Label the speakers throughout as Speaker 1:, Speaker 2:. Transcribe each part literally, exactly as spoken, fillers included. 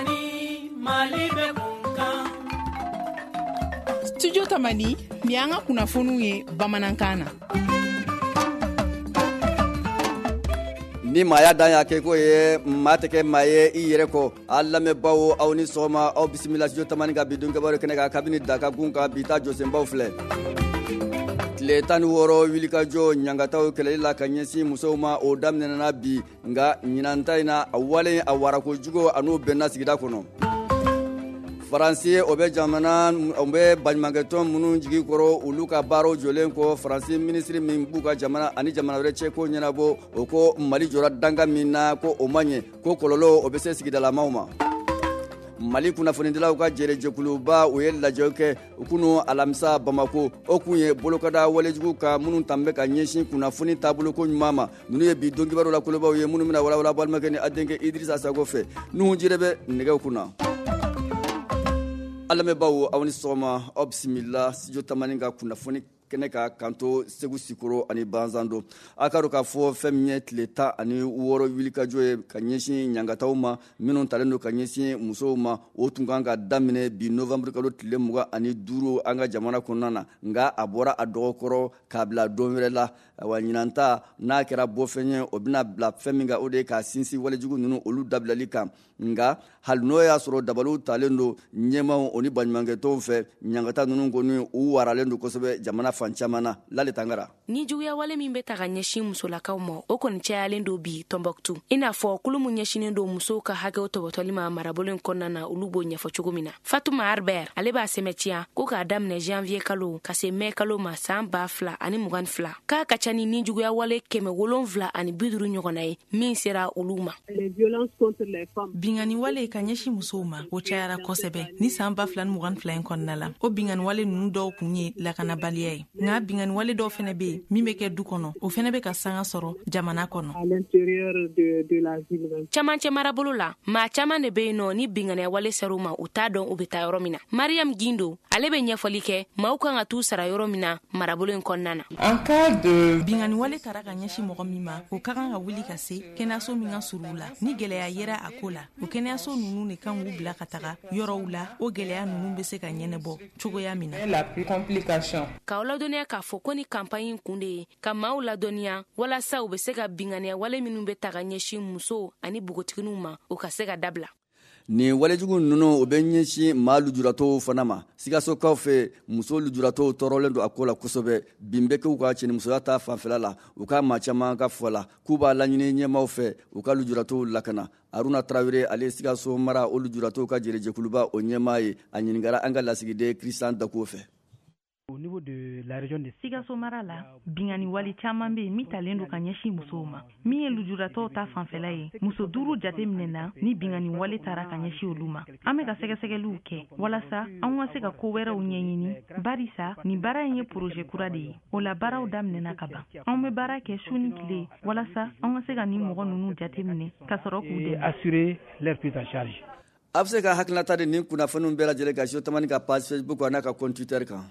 Speaker 1: Tamani, Mali bɛ kun kan.
Speaker 2: Studio Tamani, ni an ka kunnafoniw ye bamanankan na.
Speaker 3: Ni maaya dan y'a kɛ ko ye maa tɛ kɛ maa ye i yɛrɛ kɔ. A lamɛnbaaw, aw ni sɔgɔma, aw bisimila Studio Tamani ka bi don kibaru kɛnɛ kan kabini Dakagun kan bi ta jɔsenbaw filɛ. Tile tan ni wɔɔrɔ wulikajɔ ɲangataw kɛlɛli la ka ɲɛsin musow ma, o daminɛna bi, nka ɲinan ta in na a wale a warako jugu a n'o bɛnna sigida kɔnɔ. Faransi o bɛ jamana o bɛ baɲumankɛtɔn minnu jigi kɔrɔ, olu ka baaraw jɔlen kɔ, Faransi minisiri min b'u ka jamana ani jamana wɛrɛ cɛ ko ɲɛnabɔ, o ko Mali jɔra dankan min na ko o man ɲɛ, ko kɔlɔlɔ o bɛ se sigidalamaw ma. Mali kunnafonidilaw ka jɛrɛjɛkuluba o ye lajɛ kɛ kunu alamisa Bamako, o kun ye bolokada walejugu ka minnu tan bɛ ka ɲɛsin kunnafoni taaboloko ɲuman ma. Ninnu ye bi don kibaru la kolobaw ye minnu bɛna walawala balimakɛ ni a denkɛ Idrissa Sago fɛ. Nuhu Jire bɛ nɛgɛw kunna. A lamɛnbaaw, aw ni sɔgɔma, aw bisimila Studio Tamani ka kunnafoni kɛnɛ ka kanto Segu Sikoro ani Banzando. A ka dɔn k'a fɔ fɛn min ye tile tan ani wɔɔrɔ wulikajɔ ye ka ɲɛsin ɲangataw ma minnu talen don ka ɲɛsin musow ma, o tun kan ka daminɛ bi novembre kalo tile mugan ani duuru an ka jamana kɔnɔna na, nka a bɔra a dɔgɔkɔrɔ k'a bila don wɛrɛ la. Awa ɲinan ta n'a kɛra bɔfɛn ye, o bɛna bila fɛn min kan, o de ye k'a sinsin walejugu ninnu olu dabilali kan. Nka hali n'o y'a sɔrɔ dabaliw talen don ɲɛmaaw o ni baɲumankɛtɔnw fɛ, ɲangata ninnu kɔni u waralen don kosɛbɛ jamana fan caman na. Lale Tangara.
Speaker 4: Ni juguya wale min bɛ ta ka ɲɛsin musolakaw ma, o kɔni cayalen don bi Tɔnbɔkutu. I n'a fɔ kulu min ɲɛsinnen don musow ka hakɛw tɔbɔtɔli ma marabolo in kɔnɔna na, olu b'o ɲɛfɔ cogo min na. Fatuma Arbert ale b'a sɛmɛtiya ko k'a daminɛ janvier kalo ka se mai kalo ma san ba fila ani mugan fila, k'a ka ca ni ni juguya wale kɛmɛ wolonfila ani bi duuru ɲɔgɔnna ye min sera olu ma.
Speaker 5: Binkanni wale ka ɲɛsin musow ma, o cayara kosɛbɛ ni san ba fila ni mugan fila in kɔnɔna la. O binkanni wale ninnu dɔw kun ye lakanabaliya ye, nka binkanni wale dɔw fɛnɛ bɛ yen min bɛ kɛ du kɔnɔ, o fɛnɛ bɛ ka sanga sɔrɔ jamana kɔnɔ.
Speaker 4: Camancɛ marabolo la, maa caman de bɛ yen nɔ ni binkanni wale ser'u ma, u t'a dɔn u bɛ taa yɔrɔ min na. Mariam Gindo ale bɛ ɲɛfɔli kɛ maaw kan ka t'u sara yɔrɔ min na marabolo in kɔnɔna na.
Speaker 5: Binkanni wale taara ka ɲɛsin mɔgɔ min ma, o ka kan ka wuli ka se kɛnɛyaso min ka surun u la. Ni gɛlɛya yera a ko la, o kɛnɛyaso ninnu de kan k'u bila ka taga yɔrɔw la, o gɛlɛya ninnu bɛ se ka ɲɛnabɔ cogoya min na.
Speaker 4: K'aw ladɔnniya k'a fɔ ko ni campagne in kun de ye ka maaw ladɔnniya walasa u bɛ se ka binkanniya wale minnu bɛ ta ka ɲɛsin musow ani npogotigininw ma, o ka se ka dabila.
Speaker 3: Nin walejugu ninnu o bɛ ɲɛsin maa lujuratɔw fana ma. Sikasokaw fɛ, muso lujuratɔw tɔɔrɔlen don a ko la kosɛbɛ. Bin bɛ kɛ u ka cɛnimusoya ta fanfɛla la. U ka maa caman ka fɔ la k'u b'a laɲini ɲɛmaaw fɛ u ka lujuratɔw lakana. Aruna Tarawele ale ye Sikaso mara o lujuratɔw ka jɛrɛjɛkuluba o ɲɛmaa ye. A ɲininkara an ka lasigiden Christian Dakuo fɛ.
Speaker 5: Sikaso mara la, binkanni wale caman bɛ yen min talen don ka ɲɛsin musow ma. Min ye lujuratɔw ta fanfɛla ye, muso duuru jate minɛna ni binkanni wale taara ka ɲɛsin olu ma. An bɛ ka sɛgɛsɛgɛliw kɛ walasa an ka se ka ko wɛrɛw ɲɛɲini, barisa nin baara in ye projet kura de ye, o la baaraw daminɛna ka ban. Anw bɛ baara kɛ su ni tile walasa an ka se ka nin mɔgɔ ninnu jate minɛ ka sɔrɔ k'u dɛmɛ.
Speaker 3: A bɛ se ka hakilinata di nin kunnafoniw bɛɛ lajɛlen kan Studio Tamani ka page Facebook n'a ka compte Twitter kan.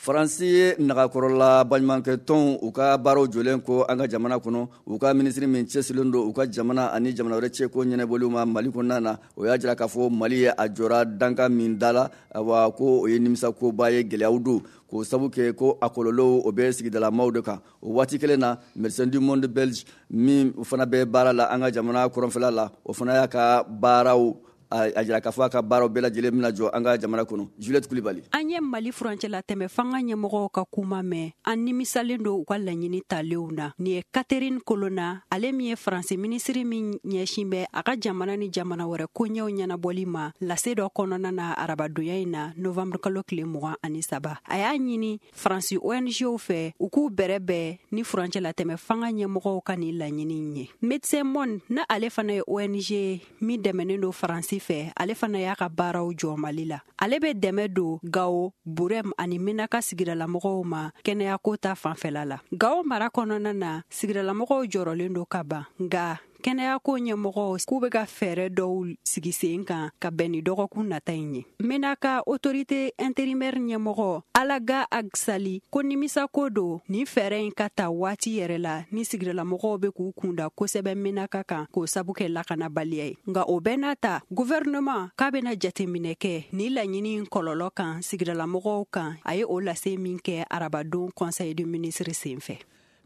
Speaker 3: Faransi ye nagakɔrɔla baɲumankɛtɔnw u ka baaraw jɔlen ko an ka jamana kɔnɔ, u ka minisiri min cɛsirilen don u ka jamana ani jamana wɛrɛ cɛ ko ɲɛnabɔliw ma Mali kɔnɔna na, o y'a jira k'a fɔ Mali ye a jɔra dankan min da la, awa ko o ye nimisakoba ye, gɛlɛyaw don k'o sabu kɛ ko a kɔlɔlɔw o bɛ sigidalamaw de kan. O waati kelen na, Médecins du Monde belge min fana bɛ baara la an ka jamana kɔrɔnfɛla la, o fana y'a ka baaraw a jira k'a fɔ a ka baaraw bɛɛ lajɛlen bɛna jɔ an ka jamana kɔnɔ. Juliette Kulibali.
Speaker 6: An ye Mali furancɛla tɛmɛ fanga ɲɛmɔgɔw ka kuma mɛn, an nimisalen don u ka laɲini talenw na. Nin ye Catherine Colonna, ale min ye Faransi minisiri min ɲɛsin bɛ a ka jamana ni jamana wɛrɛ koɲɛw ɲɛnabɔli ma, lase dɔ kɔnɔna na arabadonya in na novembre kalo tile mugan ani saba. A y'a ɲini Faransi O N G fɛ u k'u bɛrɛ bɛn ni furancɛla tɛmɛ fanga ɲɛmɔgɔw ka nin laɲini ye. Médecins Monde na ale fana ye O N G min dɛmɛnen don Faransi fɛ, ale fana y'a ka baaraw jɔ Mali la. Ale bɛ dɛmɛ don Gawo, Burem ani Menaka sigidalamɔgɔw ma kɛnɛyako ta fanfɛla la. Gawo mara kɔnɔna na, sigidalamɔgɔw jɔrɔlen don ka ban, nka Kɛnɛyako ɲɛmɔgɔw k'u bɛ ka fɛɛrɛ dɔw sigi sen kan ka bɛn ni dɔgɔkun nata in ye. Menaka autorité intérimaire ɲɛmɔgɔ Alaga Agsali ko nimisako don nin fɛɛrɛ in ka ta waati yɛrɛ la ni sigidalamɔgɔw bɛ k'u kunda kosɛbɛ Menaka kan k'o sabu kɛ lakanabaliya ye. Nka o bɛɛ n'a ta, gouvernement k'a bɛna jateminɛ kɛ ni laɲini kɔlɔlɔ kan sigidalamɔgɔw kan. A ye o lase min kɛ arabadon conseil de ministre senfɛ.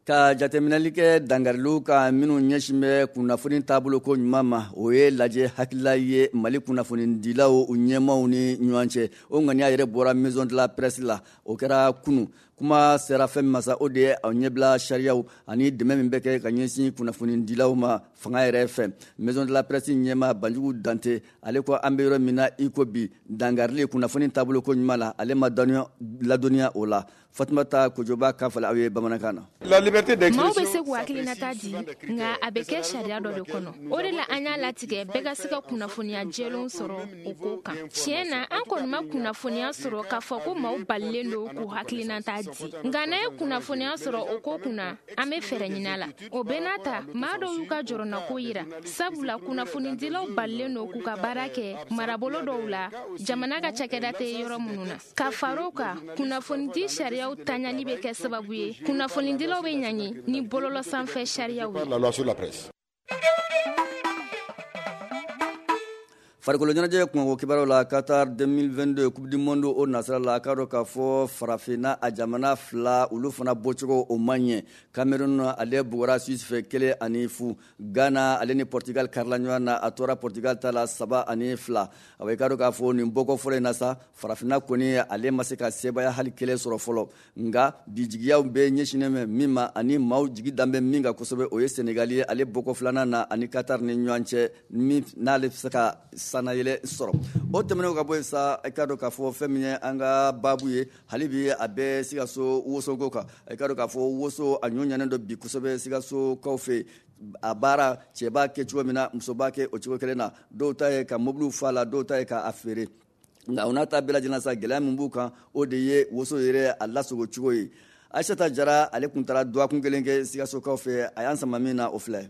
Speaker 3: Ka jateminɛli kɛ dangariliw kan minnu ɲɛsin bɛ kunnafoni taabolo ko ɲuman ma, o ye lajɛ hakilila ye Mali kunnafonidilaw u ɲɛmaaw ni ɲɔgɔn cɛ. O ŋaniya yɛrɛ bɔra Maison de la Presse la, o kɛra kunu. Kuma sera fɛn min ma sa, o de ye aw ɲɛbila sariyaw ani dɛmɛ min bɛ kɛ ka ɲɛsin kunnafonidilaw ma fanga yɛrɛ fɛ. Maison de la Presse ɲɛmaa Banjugu Dante, ale ko an bɛ yɔrɔ min na i ko bi, dangarili kunnafoni taabolo ko ɲuman la, ale ma ladɔnniya o la. Fatumata Kojoba k'a fɔ aw ye bamanankan na.
Speaker 4: Maaw bɛ se k'u hakilinata di, nka a bɛ kɛ sariya dɔ de kɔnɔ. O de la an y'a latigɛ bɛɛ ka se ka kunnafoniya jɛlenw sɔrɔ o ko kan. Tiɲɛ na, an kɔni ma kunnafoniya sɔrɔ k'a fɔ ko maaw balilen don k'u hakilinata di. Nka n'an ye kunnafoniya sɔrɔ o ko kunna, an bɛ fɛɛrɛ ɲini a la. O bɛɛ n'a ta, maa dɔw y'u ka jɔrɔnako yira, sabula kunnafonidilaw balilen don k'u ka baara kɛ marabolo dɔw la, jamana ka cakɛda tɛ yɔrɔ minnu na. Ka fara o kan, kunnafonidi sariya taɲali bɛ kɛ sababu ye kunnafonidilaw bɛ ɲangi ni bɔlɔlɔ sanfɛ sariyaw ye.
Speaker 3: Farikolo ɲɛnajɛ kunko kibaruyaw la, Qatar deux mille vingt-deux Coupe du Monde o nasira la, a k'a dɔn k'a fɔ farafinna a jamana fila olu fana bɔcogo o man ɲɛ. Cameroun ale bugɔra Suisse fɛ kelen ani fu. Ghana ale ni Portugal karila ɲɔgɔn na, a tora Portugal ta la saba ani fila. A bɛ k'a dɔn k'a fɔ nin bɔko fɔlɔ in na sa, farafinna kɔni ale ma se ka sebaaya hali kelen sɔrɔ fɔlɔ. Nka bi jigiyaw bɛ ɲɛsinnen bɛ min ma ani maaw jigi dan bɛ min kan kosɛbɛ, o ye Senegal ye, ale bɔko filanan na ani Qatar ni ɲɔgɔn cɛ, min n'ale bɛ se ka sanayɛlɛ sɔrɔ. O tɛmɛnen ka bɔ yen sa, i k'a dɔn k'a fɔ fɛn min ye an ka baabu ye hali bi, a bɛ Sikaso wosoko kan. I k'a dɔn k'a fɔ woso a ɲɔ ɲanen don bi kosɛbɛ Sikasokaw fɛ. A baara cɛ b'a kɛ cogo min na, muso b'a kɛ o cogo kelen na. Dɔw ta ye ka mobiliw fa la, dɔw ta ye k'a feere. Nka o n'a ta bɛɛ lajɛlen sa, gɛlɛya min b'u kan, o de ye woso yɛrɛ a lasago cogo ye. Aïssata Jara ale kun taara dɔgɔkun kelen kɛ Sikasokaw fɛ, a y'an sama min na o filɛ.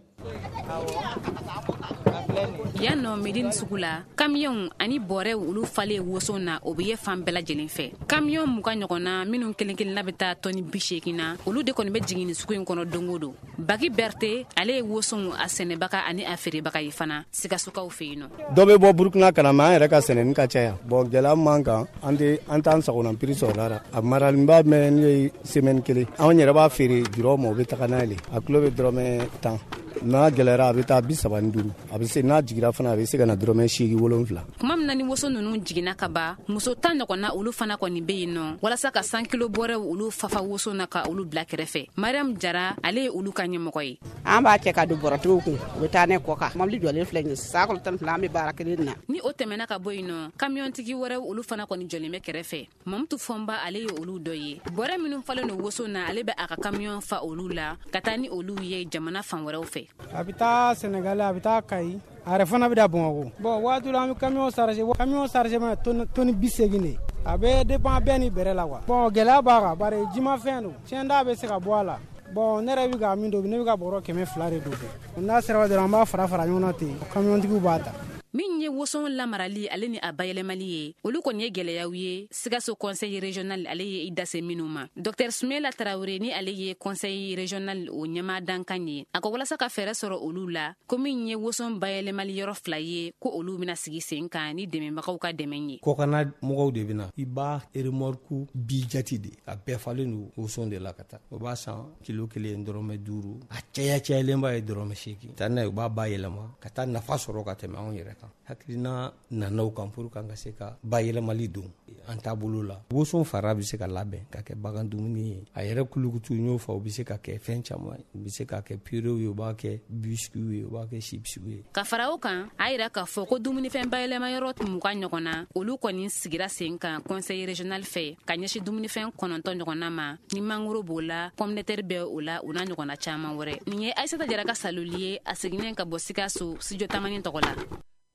Speaker 7: Yan nɔ Medine sugu la, kamiyɔnw ani bɔrɛw olu falen woso na, o bɛ ye fan bɛɛ lajɛlen fɛ. Kamiyɔn mugan ɲɔgɔn na minnu kelen kelenna bɛ taa tɔni bi seegin na, olu de kɔni bɛ jigin nin sugu in kɔnɔ don o don. Bagi Berthe ale ye wosow a sɛnɛbaga ani a feerebaga ye fana Sikasokaw fɛ yen nɔ.
Speaker 8: Dɔ bɛ bɔ Burukina ka na, mais an yɛrɛ ka sɛnɛni ka ca yan. Bon, gɛlɛya man kan, an tɛ an t'an sagona prix sɔrɔ la. A maralenba mɛn ne ye semaine kelen. Anw yɛrɛ b'a feere jurɔ ma, o bɛ taga n'a ye. A kilo bɛ dɔrɔmɛ tan. N'a gɛlɛyara a bɛ taa bi saba ni duuru, a bɛ se n'a jiginra fana a bɛ se ka na dɔrɔmɛ seegin wolonfila.
Speaker 7: Tuma min na ni woso ninnu jiginna ka ban, muso tan ɲɔgɔnna olu fana kɔni bɛ yen nɔ walasa ka san kilo bɔrɛw olu fafa woso na ka olu bila kɛrɛfɛ. Mariam Jara ale ye olu ka ɲɛmɔgɔ ye.
Speaker 9: An b'a cɛ ka don bɔrɔtigiw kun, u bɛ taa ne kɔ kan. Mobili jɔlen filɛ nin ye, san kalo tan ni fila an bɛ baara kelen na.
Speaker 7: Ni o tɛmɛna ka bɔ yen nɔ, kamiyɔntigi wɛrɛw olu fana kɔni jɔlen bɛ kɛrɛfɛ. Mamutu Fɔnba ale ye olu dɔ ye. Bɔrɛ minnu falen don woso na, ale bɛ a ka kamiyɔn fa olu la ka taa ni olu ye jamana fan wɛrɛw fɛ.
Speaker 10: A bɛ taa Senegal, a bɛ taa Kayi, a yɛrɛ fana bɛ da Bamakɔ. Bon, waati la an bɛ camion chargé, camion chargé ma tonne bi seegin de. A bɛ dépend bɛɛ ni bɛrɛ la quoi. Bon, gɛlɛya b'a kan bari jimafɛn don, tiɲɛnda bɛ se ka bɔ a la. Bon, ne yɛrɛ bɛ ka min don, ne bɛ ka bɔrɔ kɛmɛ fila de don. N'a sera dɔrɔn an b'a fara fara ɲɔgɔn na ten, camiontigiw b'a ta.
Speaker 7: Min ye woson lamarali ale ni a bayɛlɛmali ye, olu kɔni ye gɛlɛyaw ye Sikaso conseil régional ale ye i dase minnu ma. Docteur Sumela Tarawele ni ale ye conseil régional o ɲɛmaa dankan ye, a ko walasa ka fɛɛrɛ sɔrɔ olu la, ko min ye woson bayɛlɛmali yɔrɔ fila ye, ko olu bɛna sigi sen kan ni dɛmɛbagaw ka dɛmɛ ye.
Speaker 11: Kɔkanna mɔgɔw de bɛna, i b'a remorque bi jati de, a bɛɛ falen don woson de la ka taa. O b'a san kilo kelen dɔrɔmɛ duuru, a caya cayalenba ye dɔrɔmɛ seegin. Taa n'a ye, u b'a bayɛlɛma ka taa nafa sɔrɔ ka tɛmɛ anw yɛrɛ kan. Hakilina nana o kan pour kan ka se ka bayɛlɛmali don an taabolo la. Woson fara bɛ se ka labɛn ka kɛ bagan dumuni ye, a yɛrɛ kulukutu n y'o fɔ, o bɛ se ka kɛ fɛn caman ye, u bɛ se ka kɛ purew ye, u b'a kɛ biscuits ye, u b'a kɛ chips ye.
Speaker 7: Ka fara o kan, a yira k'a fɔ ko dumunifɛn bayɛlɛma yɔrɔ mugan ɲɔgɔn na, olu kɔni sigira sen kan conseil régional fɛ ka ɲɛsin dumunifɛn kɔnɔntɔn ɲɔgɔnna ma, ni mangoro b'o la, pomme de terre bɛ o la, o n'a ɲɔgɔnna caman wɛrɛ. Nin ye Aïssata Jara ka saloli ye, a seginnen ka bɔ Sikaso studio Tamani tɔgɔ la.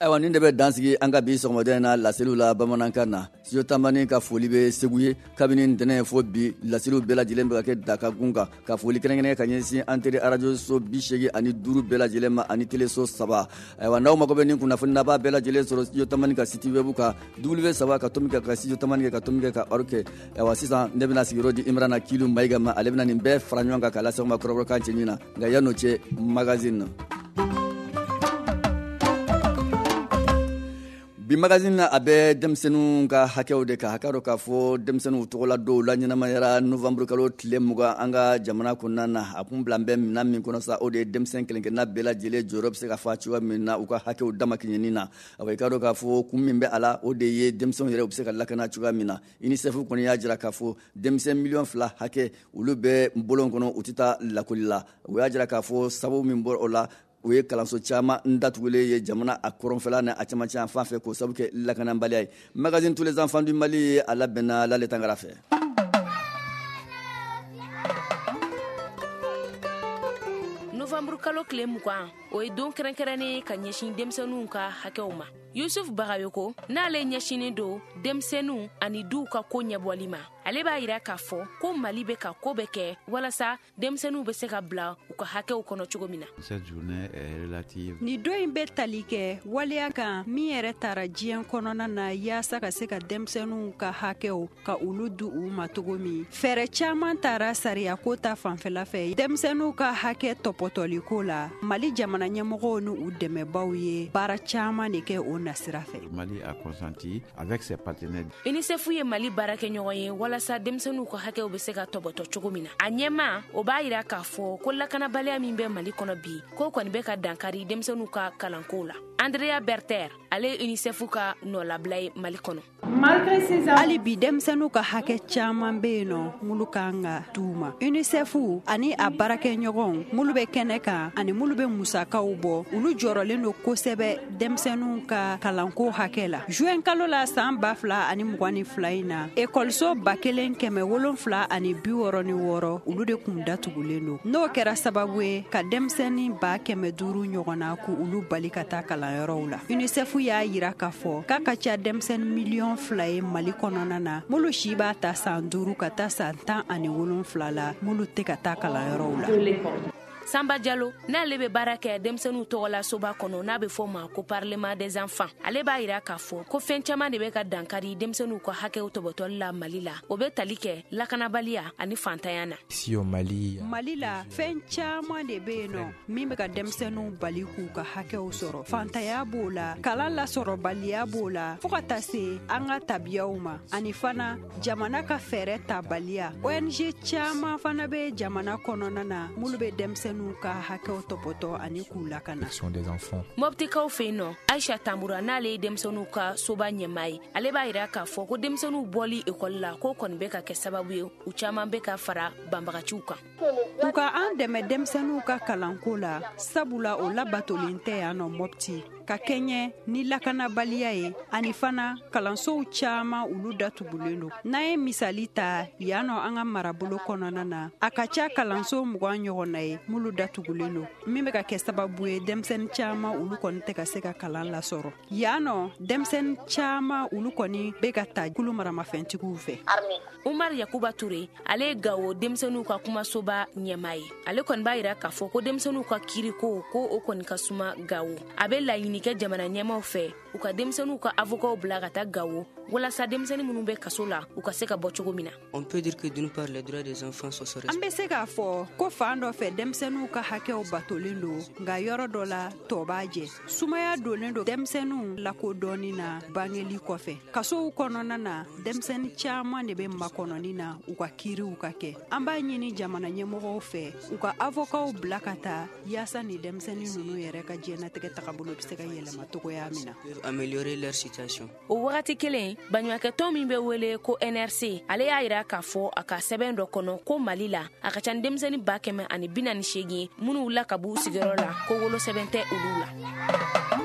Speaker 3: Ayiwa, nin de bɛ dansigi an ka bi sɔgɔmada in na laseliw la bamanankan na. Studio Tamani ka foli bɛ Segu ye. Kabini ntɛnɛn fo bi, laseliw bɛɛ lajɛlen bɛ ka kɛ Dakagun kan, ka foli kɛrɛnkɛrɛn ka ɲɛsin an teri arajo so bi seegin ani duuru bɛɛ lajɛlen ma ani teleso saba. Ayiwa, n'aw mago bɛ nin kunnafoni na, b'a bɛɛ lajɛlen sɔrɔ Studio Tamani ka site web kan, W saba ka tomi kɛ ka Studio Tamani kɛ ka tomi kɛ ka org kɛ. Ayiwa, sisan ne bɛna sigiyɔrɔ di Imrana Kilu Mayiga ma, ale bɛna nin bɛɛ fara ɲɔgɔn kan k'a lase aw ma kɔrɔbɔrɔkan cɛɲi na. Nka yan'o cɛ, magazine na. Bi magazine na, a bɛ denmisɛnninw ka hakɛw de kan. Hakɛ dɔ k'a fɔ denmisɛnninw tɔgɔla dɔw la ɲɛnamayara novembre kalo tile mugan an ka jamana kɔnɔna na. A kun bila bɛ minɛn min kɔnɔ sa, o de ye denmisɛn kelen-kelenna bɛɛ lajɛlen jɔyɔrɔ bɛ se ka fa cogoya min na u ka hakɛw damakɛɲɛni na. Awa, i k'a dɔn k'a fɔ kun min bɛ a la, o de ye denmisɛnw yɛrɛ u bɛ se ka lakana cogoya min na. UNICEF kɔni y'a jira k'a fɔ denmisɛn miliyɔn fila hakɛ, olu bɛ bɔlɔn kɔnɔ, u tɛ taa lakɔli la. U y'a jira k'a fɔ sababu min bɔra o la, o ye kalanso caman datugulen ye jamana a kɔrɔnfɛla ni a cɛmancɛ yan fan fɛ, k'o sababu kɛ lakanabaliya ye. Magazine Tous les enfants du Mali ye, a labɛnna Lale Tangara fɛ.
Speaker 4: Novembre kalo tile mugan, o ye don kɛrɛnkɛrɛnnen ye ka ɲɛsin denmisɛnninw ka hakɛw ma. Yusuf Bagayoko, n'ale ɲɛsinnen don denmisɛnninw ani duw ka ko ɲɛbɔli ma, ale b'a yira k'a fɔ ko Mali bɛ ka ko bɛɛ kɛ walasa denmisɛnninw bɛ se ka bila u ka hakɛw kɔnɔ cogo min na.
Speaker 6: Nin don in bɛ tali kɛ waleya kan min yɛrɛ taara diɲɛ kɔnɔna na yaasa ka se ka denmisɛnninw ka hakɛw ka olu di u ma cogo min. Fɛɛrɛ caman taara sariyako ta fanfɛla fɛ denmisɛnninw ka hakɛ tɔpɔtɔliko la. Mali jamana ɲɛmɔgɔw ni u dɛmɛbaw ye baara caman de kɛ o nasira fɛ.
Speaker 12: Mali a consenti avec ses partenaires.
Speaker 4: UNICEF ye Mali baarakɛɲɔgɔn ye walasa denmisɛnninw ka hakɛw bɛ se ka tɔbɔtɔ cogo min na. A ɲɛma o b'a yira k'a fɔ ko lakanabaliya min bɛ Mali kɔnɔ bi, k'o kɔni bɛ ka dankari denmisɛnninw ka kalanko la. Andrea Berter, ale ye UNICEF ka nɔlabila ye Mali kɔnɔ.
Speaker 6: Hali bi, denmisɛnninw ka hakɛ caman bɛ yen nɔ minnu kan ka d'u ma. UNICEF ani a baarakɛɲɔgɔnw minnu bɛ kɛnɛ kan ani minnu bɛ musakaw bɔ, olu jɔrɔlen don kosɛbɛ denmisɛnninw ka kalanko hakɛ la. Juin kalo la san ba fila ani mugan ni fila in na, ekɔliso ba kelen kɛmɛ wolonfila ani bi wɔɔrɔ ni wɔɔrɔ, olu de kun datugulen don. N'o kɛra sababu ye ka denmisɛnnin ba kɛmɛ duuru ɲɔgɔn na k'u olu bali ka taa kalanyɔrɔw la. UNICEF y'a yira k'a fɔ k'a ka ca denmisɛnnin miliyɔn fila ye Mali kɔnɔna na, minnu si b'a ta san duuru ka taa san tan ani wolonfila la, minnu tɛ ka taa kalanyɔrɔw la.
Speaker 4: Samba Jalo, n'ale bɛ baara kɛ denmisɛnninw tɔgɔla soba kɔnɔ n'a bɛ fɔ ma ko Parlement des enfants, ale b'a yira k'a fɔ ko fɛn caman de bɛ ka dankari denmisɛnninw ka hakɛw tɔbɔtɔli la Mali la. O bɛ tali kɛ lakanabaliya ani fantanya na.
Speaker 13: Ici au Mali,
Speaker 6: Mali la, fɛn caman de bɛ yen nɔ min bɛ ka denmisɛnninw bali k'u ka hakɛw sɔrɔ. Fantanya b'o la, kalan lasɔrɔbaliya b'o la, fo ka taa se an ka tabiyaw ma, ani fana jamana ka fɛɛrɛ tabaliya. O N G caman fana bɛ jamana kɔnɔna na minnu bɛ denmisɛnninw ka hakɛw tɔpɔtɔ ani k'u lakana.
Speaker 13: Des enfants.
Speaker 4: Mɔptikaw fɛ yen nɔ, Aisha Tambura, n'ale ye denmisɛnninw ka soba ɲɛmaa ye, ale b'a yira k'a fɔ ko denmisɛnninw bɔli ekɔli la, k'o kɔni bɛ ka kɛ sababu ye u caman bɛ ka fara banbagaciw kan.
Speaker 6: U ka an dɛmɛ denmisɛnninw ka kalanko la, sabula o labatolen tɛ yan nɔ Mɔpti, ka kɛɲɛ ni lakanabaliya ye, ani fana kalansow caman olu datugulen don. N'an ye misali ta yan nɔ, an ka marabolo kɔnɔna na, a ka ca kalanso mugan ɲɔgɔn na ye minnu datugulen don, min bɛ ka kɛ sababu ye denmisɛnnin caman olu kɔni tɛ ka se ka kalan lasɔrɔ yan nɔ. Denmisɛnnin caman olu kɔni bɛ ka ta kulu maramafɛntigiw fɛ.
Speaker 4: Umar Yakuba Ture, ale ye Gawo denmisɛnninw ka kumasoba ɲɛmaa ye. Ale kɔni b'a yira k'a fɔ ko denmisɛnninw ka kiriko, ko o kɔni ka suma Gawo. A bɛ laɲini kɛ jamana ɲɛmaw fɛ, u ka denmisɛnninw ka avokaw bila ka taa Gawo walasa denmisɛnnin minnu bɛ kaso la, u ka se ka bɔ cogo min na.
Speaker 6: An bɛ se k'a fɔ ko fan dɔ fɛ, denmisɛnninw ka hakɛw batolen don, nka yɔrɔ dɔ la, tɔ b'a jɛ. Sumaya donnen don denmisɛnninw lakodɔnni na bangeli kɔfɛ. Kasow kɔnɔna na, denmisɛnnin caman de bɛ makɔnɔni na u ka kiiriw ka kɛ. An b'a ɲini jamana ɲɛmɔgɔw fɛ, u ka avokaw bila ka taa yaasa ni denmisɛnnin ninnu yɛrɛ ka diɲɛnatigɛ tagabolo bɛ se ka yɛlɛma cogoya min na.
Speaker 4: O wagati kelen, baɲumankɛtɔn min bɛ wele ko N R C, ale y'a yira k'a fɔ a ka sɛbɛn dɔ kɔnɔ ko Mali la, a ka ca ni denmisɛnnin ba kɛmɛ ani bi naani seegin minnu wulila ka b'u sigiyɔrɔ la, ko wolosɛbɛn tɛ olu la.